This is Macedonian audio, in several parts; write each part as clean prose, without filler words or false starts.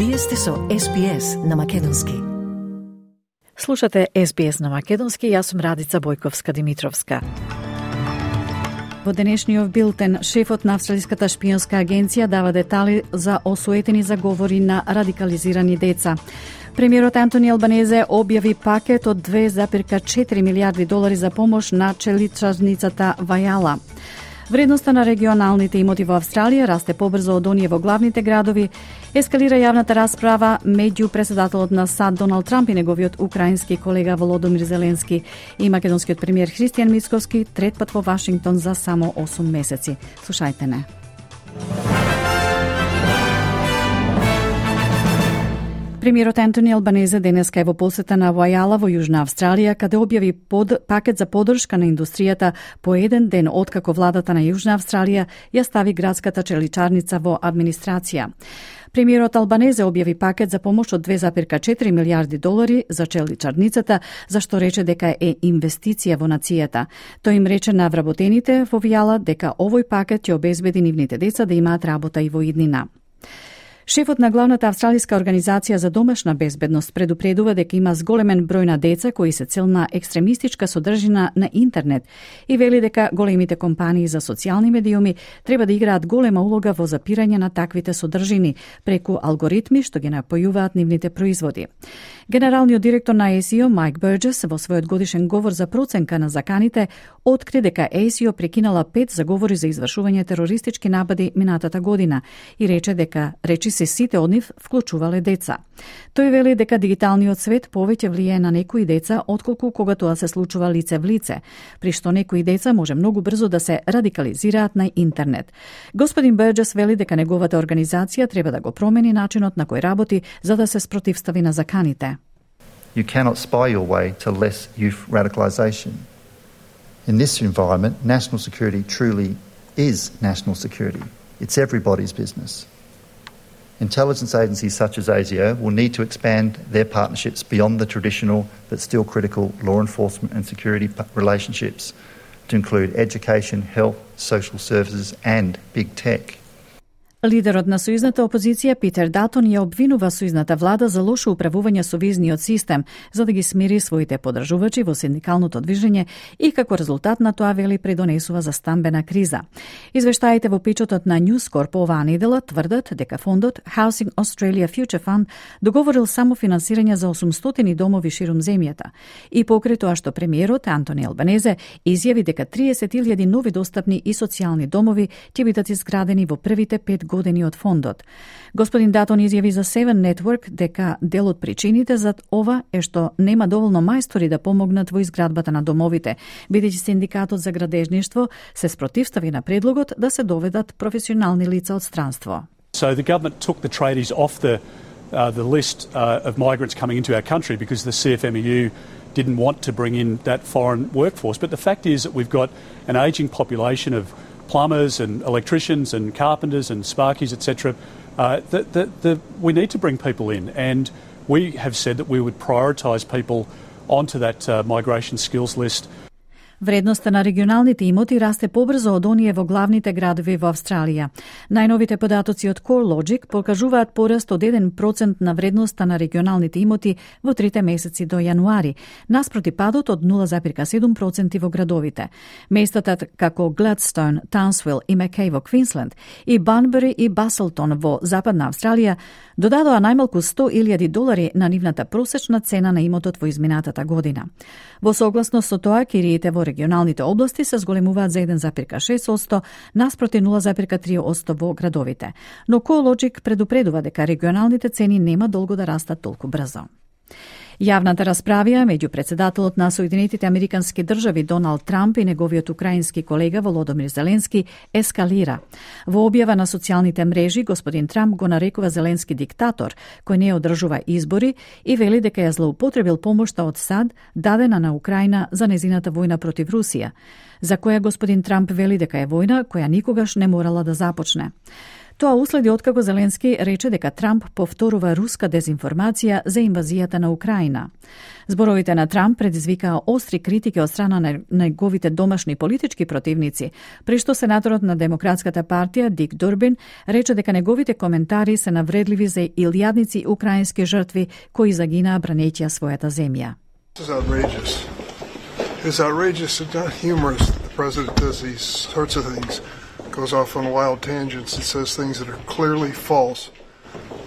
Вие сте со SBS на Македонски. Слушате SBS на Македонски, јас сум Радица Бојковска-Димитровска. Во денешниот билтен, шефот на Австралиската шпионска агенција дава детали за осуетени заговори на радикализирани деца. Премиерот Антони Албанезе објави пакет од $2,4 милиарди за помош на челичарницата Вајала. Вредноста на регионалните имоти во Австралија расте побрзо од оние во главните градови. Ескалира јавната расправа меѓу председателот на САД Доналд Трамп и неговиот украински колега Володомир Зеленски и македонскиот премиер Христијан Мицкоски трет пат во Вашингтон за само 8 месеци. Слушајте не. Премиерот Антони Албанезе денеска е во посета на Вајала во Јужна Австралија, каде објави пакет за поддршка на индустријата по еден ден откако владата на Јужна Австралија ја стави градската челичарница во администрација. Премиерот Албанезе објави пакет за помош од $2,4 милиарди за челичарницата, зашто рече дека е инвестиција во нацијата. Тој им рече на вработените во Вајала дека овој пакет ќе обезбеди нивните деца да имаат работа и во иднина. Шефот на главната австралиска организација за домашна безбедност предупредува дека има зголемен број на деца кои се цел на екстремистичка содржина на интернет и вели дека големите компании за социјални медиуми треба да играат голема улога во запирање на таквите содржини преку алгоритми што ги напојуваат нивните производи. Генералниот директор на ASIO Майк Бурџес во својот годишен говор за проценка на заканите откри дека ASIO прекинала 5 заговори за извршување терористички напади минатата година и рече дека речиси сите од нив вклучувале деца. Тој вели дека дигиталниот свет повеќе влијае на некои деца отколку кога тоа се случува лице в лице, при што некои деца може многу брзо да се радикализираат на интернет. Господин Бурџес вели дека неговата организација треба да го промени начинот на кој работи за да се спротивстави на заканите. You cannot spy your way to less youth radicalisation. In this environment, national security truly is national security. It's everybody's business. Intelligence agencies such as ASIO will need to expand their partnerships beyond the traditional but still critical law enforcement and security relationships to include education, health, social services and big tech. Лидерот на сојузната опозиција Питер Датон ја обвинува сојузната влада за лошо управување со визниот систем за да ги смири своите поддржувачи во синдикалното движење и како резултат на тоа вели предонесува за стамбена криза. Извештаите во печатот на News Corp оваа недела тврдат дека фондот Housing Australia Future Fund договорил само финансирање за 800 домови ширум земјата и покрај тоа што премиерот Антони Албанезе изјави дека 30,000 нови достапни и социјални домови ќе бидат изградени во првите 5 години од фондот. Господин Датон изјави за Seven Network дека дел од причините за ова е што нема доволно мајстори да помогнат во изградбата на домовите, бидејќи синдикатот за градежништво се спротивстави на предлогот да се доведат професионални лица од странство. So the government took the tradies off the list of migrants coming into our country because the CFMEU didn't want to bring in that foreign workforce. But the fact is that we've got an ageing population of plumbers and electricians and carpenters and sparkies, etc. We need to bring people in, and we have said that we would prioritise people onto that migration skills list. Вредноста на регионалните имоти расте побрзо од оние во главните градови во Австралија. Најновите податоци од CoreLogic покажуваат пораст од 1% на вредноста на регионалните имоти во 3 месеци до јануари, наспроти падот од 0,7% во градовите. Местата како Gladstone, Townsville и Mackay во Квинсленд и Банбери и Баселтон во Западна Австралија додадоа најмалку $100,000 на нивната просечна цена на имотот во изминатата година. Во согласност со тоа, кириите во регионалните области се зголемуваат за 1,6%, наспроти 0,3% во градовите. Но CoreLogic предупредува дека регионалните цени нема долго да растат толку брзо. Јавната расправија меѓу председателот на Соединетите Американски држави Доналд Трамп и неговиот украински колега Володомир Зеленски ескалира. Во објава на социјалните мрежи, господин Трамп го нарекува Зеленски диктатор, кој не одржува избори и вели дека ја злоупотребил помошта од САД дадена на Украина за незината војна против Русија, за која господин Трамп вели дека е војна која никогаш не морала да започне. Тоа уследи откако Зеленски рече дека Трамп повторува руска дезинформација за инвазијата на Украина. Зборовите на Трамп предизвикаа остри критики од страна на неговите домашни политички противници, при што сенаторот на Демократската партија Дик Дурбин рече дека неговите коментари се навредливи за илјадници украински жртви кои загинаа бранејќи својата земја. It's outrageous and not humorous that the president does these sorts of things, goes off on wild tangents and says things that are clearly false.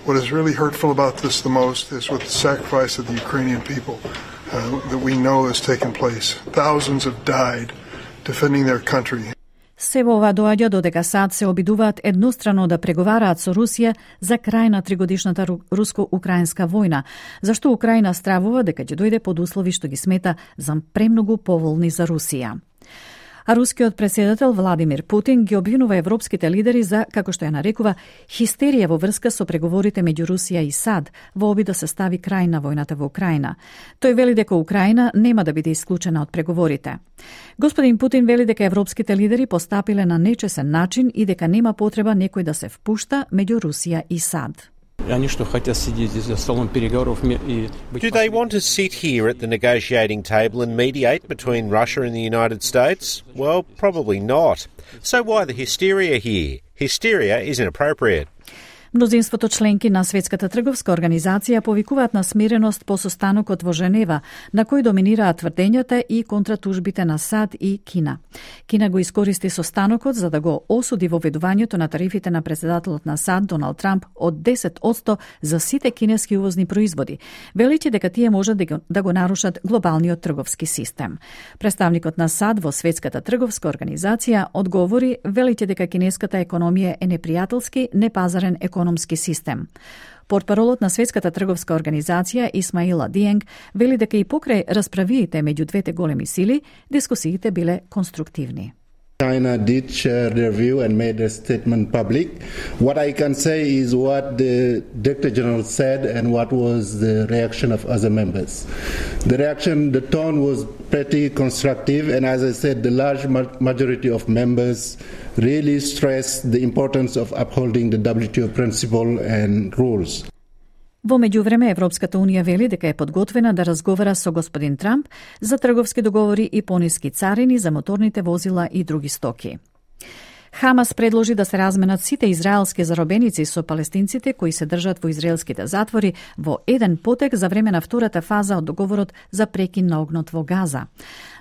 What is really hurtful about this the most is with the sacrifice of the Ukrainian people that we know has taken place. Thousands have died defending their country. Се во ова доаѓа додека САД се обидуваат еднострано да преговараат со Русија за крај на тригодишната руско-украинска војна, зашто Украина стравува дека ќе дојде под услови што ги смета за премногу поволни за Русија. А рускиот претседател Владимир Путин ги обвинува европските лидери за, како што ја нарекува, хистерија во врска со преговорите меѓу Русија и САД во обид да се стави крај на војната во Украина. Тој вели дека Украина нема да биде исклучена од преговорите. Господин Путин вели дека европските лидери постапиле на нечесен начин и дека нема потреба некој да се впушта меѓу Русија и САД. Do they want to sit here at the negotiating table and mediate between Russia and the United States? Well, probably not. So why the hysteria here? Hysteria is inappropriate. Мнозинството членки на Светската трговска организација повикуваат на смиреност по состанокот во Женева, на кој доминираат тврдењата и контратужбите на САД и Кина. Кина го искористи состанокот за да го осуди воведувањето на тарифите на претседателот на САД Доналд Трамп од 10% за сите кинески увозни производи, величи дека тие можат да го нарушат глобалниот трговски систем. Представникот на САД во Светската трговска организација одговори, величи дека кинеската економија е непријателски, непазарен економски систем. Портпаролот на Светската трговска организација Исмаила Диенг вели дека и покрај расправиите меѓу двете големи сили, дискусиите биле конструктивни. China did share their view and made their statement public. What I can say is what the Director General said and what was the reaction of other members. The tone was pretty constructive, and as I said, the large majority of members really stressed the importance of upholding the WTO principle and rules. Во меѓувреме, Европската Унија вели дека е подготвена да разговара со господин Трамп за трговски договори и пониски царини за моторните возила и други стоки. Хамас предложи да се разменат сите израелски заробеници со палестинците кои се држат во израелските затвори во еден потек за време на втората фаза од договорот за прекин на огнот во Газа.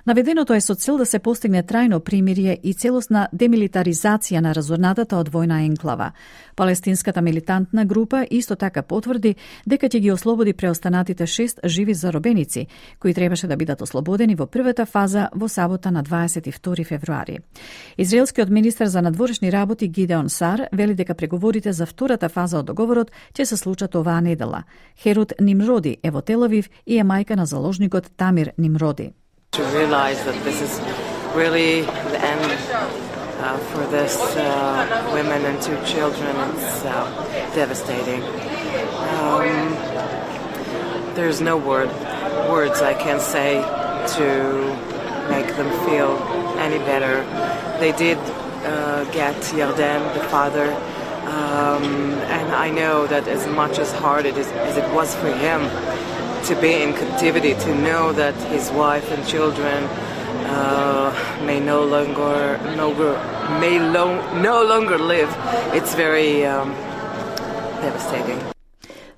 Наведеното е со цел да се постигне трајно примирие и целосна демилитаризација на разорнатата од војна енклава. Палестинската милитантна група исто така потврди дека ќе ги ослободи преостанатите 6 живи заробеници, кои требаше да бидат ослободени во првата фаза во сабота на 22 февруари. Израелскиот министер за надворешни работи Гидеон Сар вели дека преговорите за втората фаза од договорот ќе се случат оваа недела. Херут Нимроди е во Тел Авив и е мајка на заложникот Тамир Нимроди. To realize that this is really the end for this women and 2 children, it's devastating. There's no words I can say to make them feel any better. They did get Yarden, the father, and I know that as much as hard as it was for him to be in captivity, to know that his wife and children may no longer live, it's very devastating.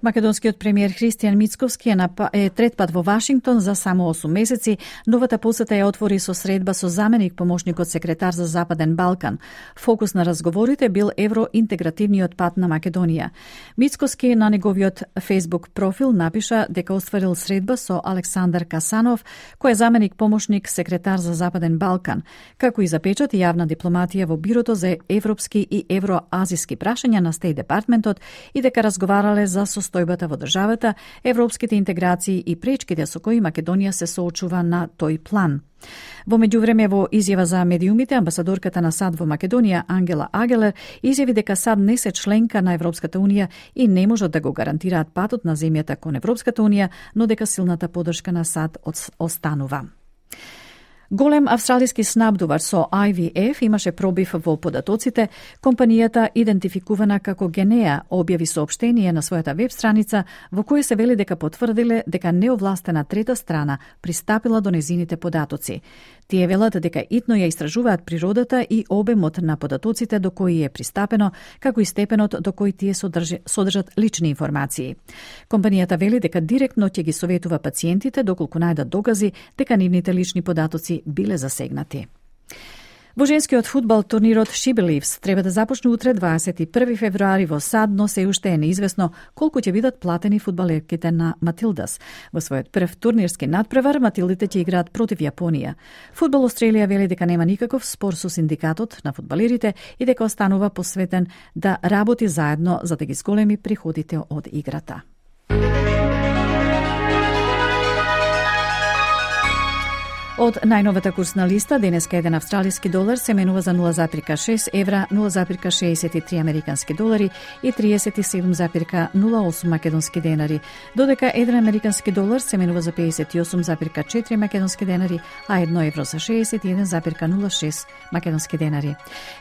Македонскиот премиер Христијан Мицковски е трет пат во Вашингтон за само 8 месеци. Новата посета ја отвори со средба со заменик помошникот секретар за Западен Балкан. Фокус на разговорите бил евроинтегративниот пат на Македонија. Мицковски на неговиот Facebook профил напиша дека остварил средба со Александар Касанов, кој е заменик помошник секретар за Западен Балкан, како и запечати јавна дипломатија во Бирото за европски и евроазиски прашања на Стејт департментот и дека разговарале за состојбата во државата, европските интеграции и пречките со кои Македонија се соочува на тој план. Во меѓувреме, во изјава за медиумите, амбасадорката на САД во Македонија Ангела Агелер изјави дека САД не се членка на Европската Унија и не можат да го гарантираат патот на земјата кон Европската Унија, но дека силната поддршка на САД останува. Голем австралиски снабдувар со IVF имаше пробив во податоците. Компанијата, идентификувана како Генеа, објави соопштение на својата веб страница во кое се вели дека потврдиле дека неовластена трета страна пристапила до незините податоци. Тие велат дека итно ја истражуваат природата и обемот на податоците до кои е пристапено, како и степенот до кој тие содржат лични информации. Компанијата вели дека директно ќе ги советува пациентите доколку најдат докази дека нивните лични податоци биле засегнати. Во женскиот фудбал турнирот She Believes треба да започне утре 21 февруари во САД, но се уште е неизвестно колку ќе бидат платени фудбалерките на Матилдас. Во својот прв турнирски надпревар Матилдите ќе играат против Јапонија. Фудбал Австралија вели дека нема никаков спор со синдикатот на фудбалерите и дека останува посветен да работи заедно за да ги зголеми приходите од играта. Од најновата курсна листа, денеска еден австралиски долар се менува за 0,6 евра, 0,63 американски долари и 37,08 македонски денари, додека еден американски долар се менува за 58,4 македонски денари, а 1 евро за 61,06 македонски денари.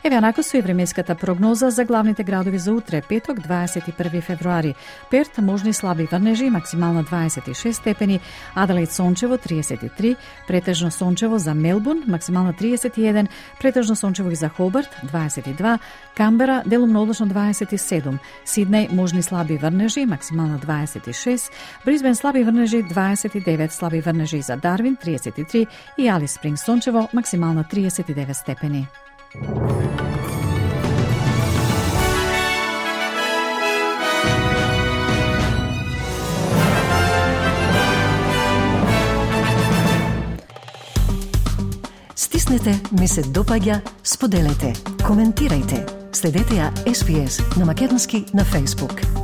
Еве онако со и временската прогноза за главните градови за утре, петок, 21 февруари. Перт, можни слаби врнежи, максимално 26 степени, Аделаид сончево 33, претежно сончево за Мелбурн, максимално 31, претежно сончево и за Хобарт 22, Камбера делумно облачно 27, Сиднеј можни слаби врнежи, максимално 26, Брисбен слаби врнежи 29, слаби врнежи за Дарвин 33 и Алис Спрингс сончево, максимално 39 степени. Стиснете, ми се допаѓа, споделете, коментирајте. Следете ја SPS на Македонски на Facebook.